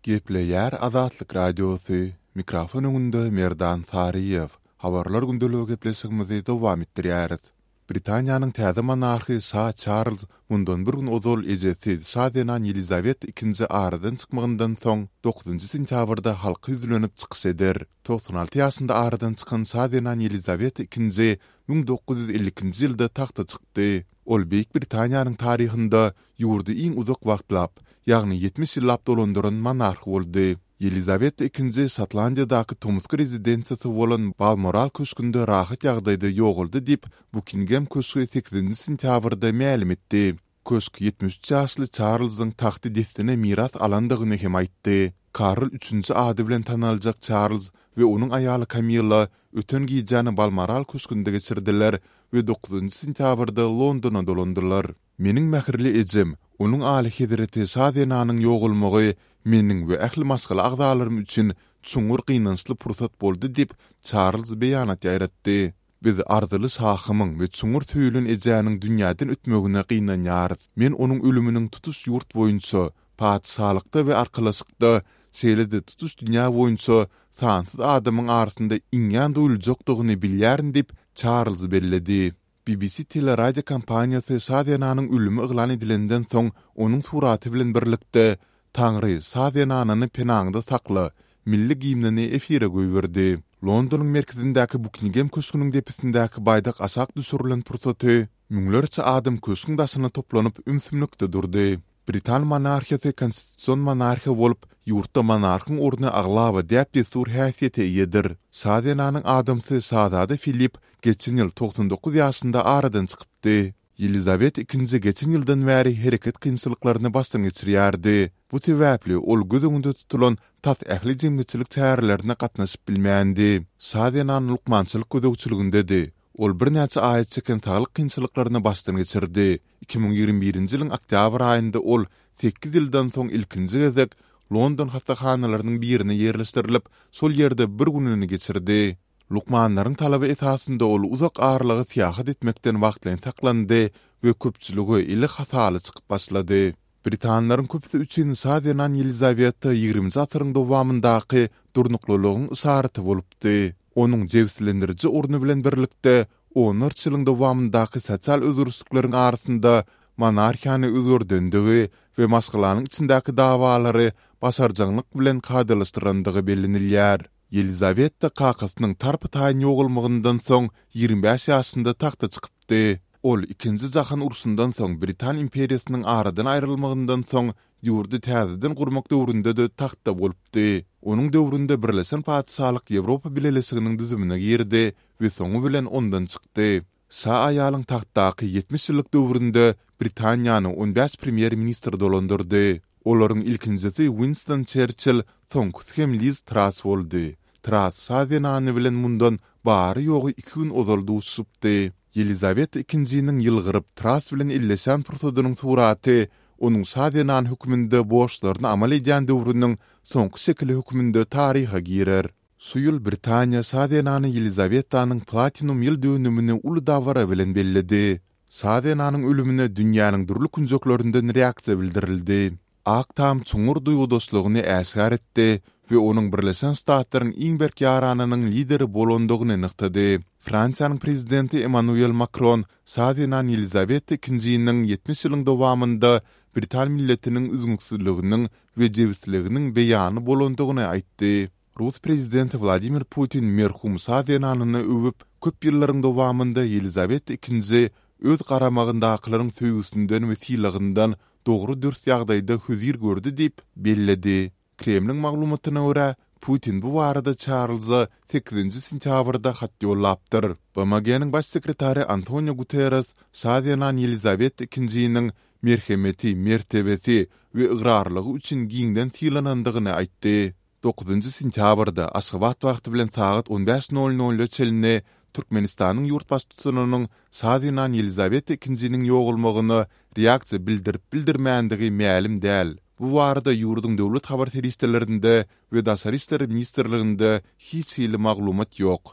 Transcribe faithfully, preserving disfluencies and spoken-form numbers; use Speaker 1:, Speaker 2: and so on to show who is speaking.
Speaker 1: Gepleýär Azatlyk Radiosy, mikrofon öňünde Merdan Saryýew. Habarlar gündeligi gepleşigimizi dowam etdirýäris. Britaniýanyň täze monarhy şa Çarlz mundan bir gün ozal ejesi şa zenan Ýelizaweta ikinji aradan çykmagyndan soň dokuzynjy sentýabrda halka ýüzlenip çykyş eder. Togsan alty ýaşynda aradan çykan şa zenan Ýelizaweta ikinji müň dokuz ýüz elli ikinji ýylda tagta çykdy. Ol Beýik Britaniýanyň taryhynda ýurdy iň uzak wagtlap, ýagny ýetmiş ýyllap dolandyran monarh boldy. Ýelizaweta ikinji Şotlandiýadaky tomusky rezidensiýasy bolan Balmoral köşgünde rahat ýagdaýda ýogaldy diýip, Bukingem köşgi sekizinji sentýabrda mälim etdi. Köşk ýetmiş üç ýaşly Çarlzyň tagty dessine miras alandygyny hem aýtdy. Karl üçünji ady bilen tanaljak Çarlz we onuň aýaly Kamilla öten gijäni Balmoral köşgünde geçirdiler we dokuzynjy sentýabrda Londona dolandylar. Meniň mähirli ejem, onuň alyhezreti şa zenanyň ýogalmagy meniň we ähli maşgala agzalarym üçin çuňňur gynançly pursat boldy diýip, Çarlz beýanat ýaýratdy. Biz arzyly şahymyň we çuňňur söýülen ejäniň dünýäden ötmegine gynanýarys. Men onuň ölüminiň tutuş ýurt boýunça, patyşalykda we arkalaşykda, şeýle-de tutuş dünýä boýunça sansyz adamyň arasynda iňňän duýuljakdygyny bilýärin diýip, Çarlz belledi. B B C teleradiokompaniýasy şa zenanyň ölümi yglan edilenden soň onuň suraty bilen birlikde "Taňry, şa zenanyny penaňda sakla" milli gimnini efire goýberdi. Londonyň merkezindäki Bukingem köşgüniň depesindäki baýdak aşak düşürilen pursaty müňlerçe adam köşgüň daşyna toplanyp ümsümlikde durdy. Britan monarhiýasy konstitusion monarhiýa bolup, ýurtda monarhyň orny aglaba däp-dessur häsiýete eýedir. Şa zenanyň adamsy şazada Filip geçen ýyl togsan dokuz ýaşynda aradan çykypdy. Ýelizaweta ikinji geçen ýyldan bäri hereket kynçylyklaryny başdan geçirýärdi. Bu sebäpli ol göz öňünde tutulan tas ähli jemgyýetçilik çärelerine gatnaşyp bilmändi. Şa zenan lukmançylyk gözegçiligindedi. Ol birnäçe aýa çeken saglyk kynçylyklaryny başdan geçirdi. Iki müň ýigrimi birinji ýylyň oktýabr aýynda ol sekiz ýyldan soň ilkinji gezek London hassahanalarynyň birine ýerleşdirilip, şol ýerde bir gününi geçirdi. Lukmanlaryň talaby esasynda ol uzak aralyga syýahat etmekden wagtlaýyn saklandy we köpçülige eli hasaly çykyp başlady. Britanlaryň köpüsi üçin şa zenan Ýelizaweta ýigriminji asyryň dowamyndaky durnuklylygyň yşaraty bolupdy. Onuň jebislendiriji orny bilen birlikde onlarça ýylyň dowamyndaky sosial özgerişlikleriň arasynda monarhiýany özgerdendigi we maşgalanyň içindäki dawalary başarjaňlyk bilen kadalaşdyrandygy bellenilýär. Ýelizaweta kakasynyň tarpa-taýyn ýogalmagyndan soň ýigrimi bäş ýaşynda tagta çykypdy. Ol Ikinji jahan urşundan soň Britan imperiýasynyň aradan aýrylmagyndan soň ýurdy täzeden gurmak döwründe-de tagtda bolupdy. Onuň döwründe Birleşen Patyşalyk Ýewropa Bileleşiginiň düzümine girdi we soňy bilen ondan çykdy. Şa aýalyň tagtdaky ýetmiş ýyllyk döwründe Britaniýany on bäş premýer-ministr dolandyrdy. Olaryň ilkinjisi Winston Çerçill, soňkusy hem Liz Trass boldy. Trass şa zenany bilen mundan bary-ýogy iki gün ozal duşuşypdy. Ýelizaweta ikinjiniň ýylgyryp Trass bilen elleşen pursadynyň suraty onuň şa zenan hökmünde borçlaryny amal edýän döwrüniň soňky şekili hökmünde taryha girer. Şu ýyl Britaniýa şa zenany Ýelizawetanyň platinum ýyl dönümini uly dabara bilen belledi. Şa zenanyň ölümine dünýäniň dürli künjeklerinden reaksiýa bildirildi. Ak Tam çuňňur duýgudaşlygyny äşgär etdi we onuň Birleşen Ştatlaryň iň berk ýaranynyň lideri bolandygyny nygtady. Fransiýanyň prezidenti Emmanuel Makron şa zenan Ýelizaweta ikinjiniň ýetmiş ýylyň dowamynda britan milletiniň üzňüksizliginiň we jebisliginiň beýany bolandygyny aýtdy. Rus prezidenti Wladimir Putin merhum şa zenanyny öwüp, köp ýyllaryň dowamynda Ýelizaweta ikinji öz garamagyndakylaryň söýgüsinden we sylagyndan dogry-dürs ýagdaýda hözir gördi diýip belledi. Kremliň maglumatyna görä, Putin bu barada Çarlza sekizinji sentýabrda hat ýollapdyr. B M G-niň baş sekretary Antonio Guterres şa zenan Ýelizaweta ikinjiniň merhemeti, mertebesi we ygrarlygy üçin giňden sylanandygyny aýtdy. Dokuzynjy sentýabrda Aşgabat wagty bilen sagat on bäş nol nolda çenli Türkmenistanyň ýurt baştutanynyň şa zenan Ýelizaweta ikinjiniň ýogalmagyna reaksiýa bildirip-bildirmändigi mälim däl. Bu barada ýurduň döwlet habar serişdelerinde we Daşary işler ministrliginde hiç hili maglumat ýok.